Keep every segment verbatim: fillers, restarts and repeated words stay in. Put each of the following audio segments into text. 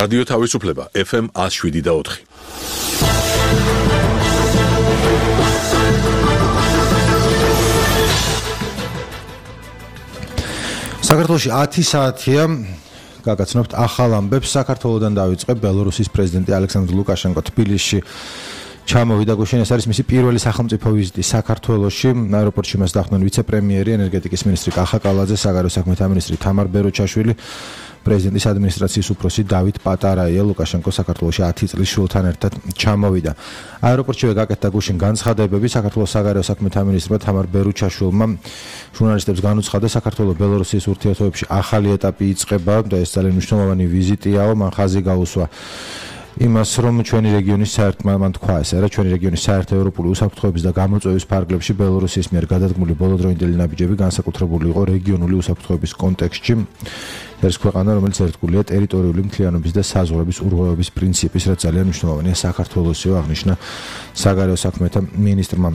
რადიო თავისუფლება ეფ ემ ათს შვიდი და ოთხი. საქართველოში ათი საათია გაგაცნობთ ახალ ამბებს. საქართველოდან დაიწყე ბელორუსის პრეზიდენტი ალექსანდრ ლუკაშენკო თბილისში ჩამოვიდა. გუშინ ეს არის მისი პირველი სახელმწიფო ვიზიტი საქართველოში. აეროპორტში მას დახვდნენ ვიცე-პრემიერი, ენერგეტიკის მინისტრი კახა კალაძე, საგარეო საქმეთა მინისტრი თამარ ბეროჩაშვილი, პრეზიდენტის ადმინისტრაციის უფროსი დავით პატარაია. ლუკაშენკო საქართველოში ათი წლის შვილთან ერთად ჩამოვიდა. აეროპორტშივე გაკეთდა გუშინ განცხადებები. საქართველოს საგარეო საქმეთა მინისტრმა თამარ ბეროჩაშვილმა ჟურნალისტებს განუცხადა, საქართველო-ბელორუსის ურთიერთობებში ახალი ეტაპი იწყება და ეს ძალიან მნიშვნელოვანი ვიზიტიაო. მან ხაზი გაუსვა იმას, რომ ჩვენი რეგიონის საერთო მან თქვა ესე რა ჩვენი რეგიონის საერთო ევროპული უსაფრთხოების და გამოწვევის ფარგლებში ბელორუსის მიერ გადადგმული ბოლოდროინდელი ნაბიჯები განსაკუთრებული იყო რეგიონული უსაფრთხოების კონტექსტში. ეს ქვეყანა, რომელიც ერთგულია ტერიტორიული მთლიანობის და საზღვრების ურღვევების პრინციპის, რაც ძალიან მნიშვნელოვანია საქართველოსიო, აღნიშნა საგარეო საქმეთა მინისტრმა.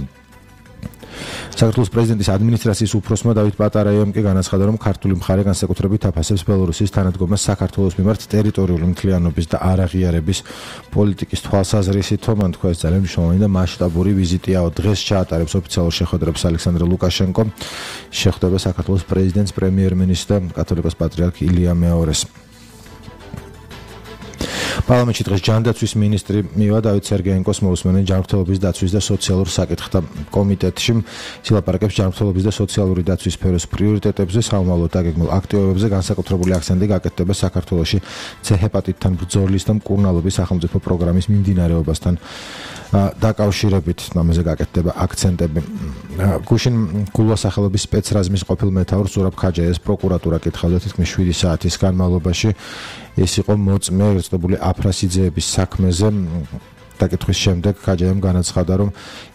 საქართველოს პრეზიდენტის ადმინისტრაციის უფროსმა დავით პატარაიამ კი განაცხადა, რომ ქართული მხარე განსაკუთრებით აფასებს ბელორუსის თანადგომას საქართველოს მიმართ ტერიტორიული მთლიანობის და არაღიარების პოლიტიკის თვალსაზრისით. მან თქვა, ეს ძალიან მნიშვნელოვანი და მასშტაბური ვიზიტიაო. დღეს ჩაატარებს ოფიციალურ შეხვედრებს ალექსანდრ ლუკაშენკო. შეხვდება საქართველოს პრეზიდენტს, პრემიერ-მინისტრს და კათოლიკოს პატრიარქ ილია მეორეს. პარლამენტში დღეს ჯანდაცვის მინისტრი მივა დავით სერგეენკოს მოусმენენ ჯანმრთელობის დაცვის და სოციალურ საკითხთა კომიტეტში. სილაპარაკებს ჯანმრთელობის და სოციალური დაცვის სფეროს პრიორიტეტებზე, საომავლო დაგეგმილ აქტივობებზე, განსაკუთრებული აქცენტი გაკეთდება საქართველოში ცე ჰეპატიტთან ბრძოლის და მკურნალობის სახელმწიფო პროგრამის მიმდინარეობასთან დაკავშირებით. ამაზე გაკეთდება აქცენტები. გუშინ გულვა სახელობის სპეცრაზმის ყოფილ მეთაურს ზურაბ ქაჯაიას პროკურატურა კითხავდა თითქმის შვიდი საათის განმავლობაში. ეს იყო მოწმე რწდებული აფრასიძეების საქმეზე. დაკითხვის შემდეგ ქაჯაიამ განაცხადა, რომ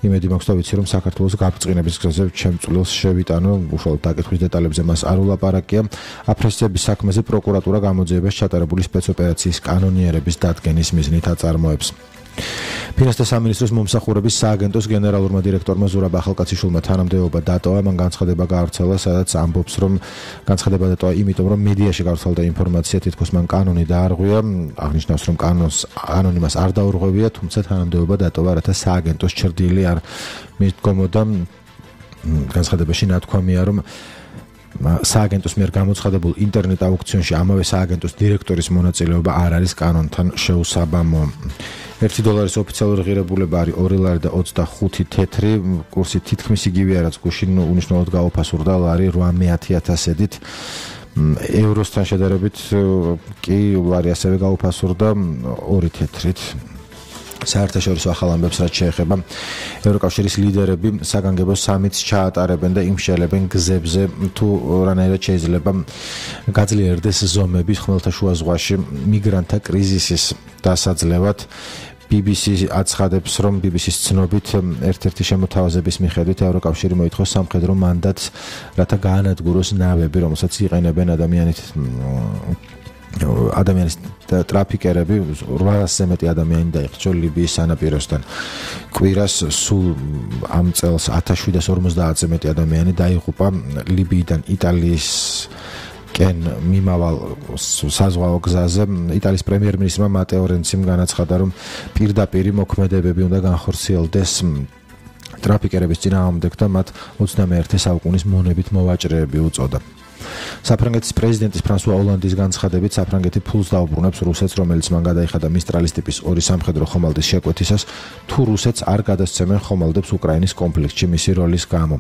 იმედი მაქვს და ვიცი, რომ საქართველოს გაბწყინების გზაზე შემწულელს შევიტანო. უშუალოდ დაკითხვის დეტალებზე მას არ ულაპარაკია. აფრასიძეების საქმეზე პროკურატურა გამოძიებას ჩატარებული სპეცოპერაციის კანონიერების დადგენის მიზნით აწარმოებს. ფინანსთა სამინისტროს მომსახურების სააგენტოს გენერალურმა დირექტორმა ზურაბ ახალკაციშვილმა თანამდებობა დატოვა. მან განცხადება გაავრცელა, სადაც ამბობს, რომ განცხადება დატოვა იმიტომ, რომ მედიაში გავრცელდა ინფორმაცია, თითქოს მან კანონი დაარღვია. აღნიშნავს, რომ კანონს კანონი მას არ დაურღვევია, თუმცა თანამდებობა დატოვა, რათა სააგენტოს ჩრდილი არ მიდგომოდა. განცხადებაში ნათქვამია, რომ სააგენტოს მიერ გამოცხადებულ ინტერნეტ აუქციონში ამავე სააგენტოს დირექტორის მონაწილეობა არ არის კანონთან შეუსაბამო. ერთი დოლარის ოფიციალური ღირებულება არის ორი ლარი და ოცდახუთი თეთრი. კურსი თითქმის იგივეა, რაც გუშინ უნიშნელოდ გაუფასურდა ლარი ორმოცდაათი ათასედით. ევროსთან შედარებით კი ლარი ასევე გაუფასურდა ორი თეთრით. საერთაშორისო ახალ ამბებს რაც შეეხება ევროკავშირის ლიდერები საგანგებო სამიტს ჩაატარებენ და იმშელებენ გზებზე თუ რანაირად შეიძლება გაძლიერდეს ზომები ხმელთაშუა ზღვაში მიგრანტთა კრიზისის დასაძლევად. ბი ბი სი აცხადებს, რომ ბი ბი სის ცნობით ერთ-ერთი შემოთავაზების მიხედვით ევროკავშირი მოითხოვს სამხედრო მანდატს, რათა გაანადგუროს ნავები, რომელსაც იყენებენ ადამიანით ადამიანის ტრაფიკერები. რვაასზე მეტი ადამიანი დაიხრჩო ლიბიის სანაპიროსთან. კვირას სულ ამ წელს ათას შვიდას ორმოცდაათზე მეტი ადამიანი დაიღუპა ლიბიიდან იტალიის კენ მიმავალ საზღვაო გზაზე. იტალიის პრემიერ-მინისტრმა მატეო რენციმ განაცხადა, რომ პირდაპირი მოქმედებები უნდა განხორციელდეს ტრაფიკერების წინააღმდეგ და მათ ოცდამეერთე საუკუნის მონებით მოვაჭრეები უწოდა. საფრანგეთის პრეზიდენტის ფრანსუა ოლანდის განცხადებით, საფრანგეთი ფულს დაუბრუნებს რუსეთს, რომელიც მან გადაიხადა მისტრალის ტიპის ორი სამხედრო ხომალდის შეკვეთისას, თუ რუსეთს არ გადასცემენ ხომალდებს უკრაინის კონფლიქტში მისი როლის გამო.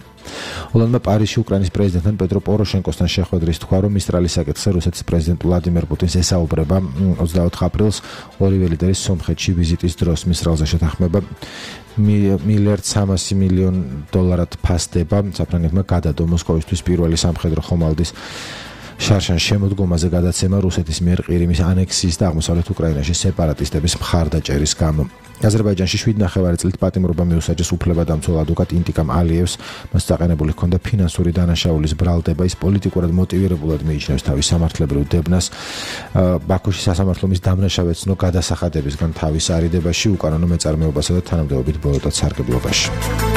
ოლანდმა პარიზში უკრაინის პრეზიდენტთან პეტრო პოროშენკოსთან შეხვედრის თქვა, რომ მისტრალის საკითხზე რუსეთის პრეზიდენტ ვლადიმერ პუტინს ესაუბრება. ოცდაოთხ აპრილს ორივე ლიდერი სომხეთში ვიზიტის დროს მისტრალზე შეთანხმება მილიარდ სამასი მილიონ დოლარად ფასდება. საფრანგეთმა გადადო მოსკოვისთვის პირველი სამხედრო ხომალდის შარშან შემოდგომაზე გადაცემა რუსეთის მიერ ყირიმის ანექსიის და აღმოსავლეთ უკრაინაში სეპარატისტების მხარდაჭერის გამო. აზერბაიჯანში შვიდ ნახევარი წლით პატიმრობა მიუსაჯეს უფლებადამცველ ადვოკატ ინტიკამ ალიევს. მას დაყენებული ჰქონდა ფინანსური დანაშაულის ბრალდება. ის პოლიტიკურად მოტივირებულად მიიჩნევს თავის სამართლებრივ დებნას. ბაქოში სასამართლო მის დამნაშავედ ცნო გადასახადებისგან თავის არიდებაში, უკანონო მეწარმეობასა და თანამდებობით ბოლოტად სარგებლობაში.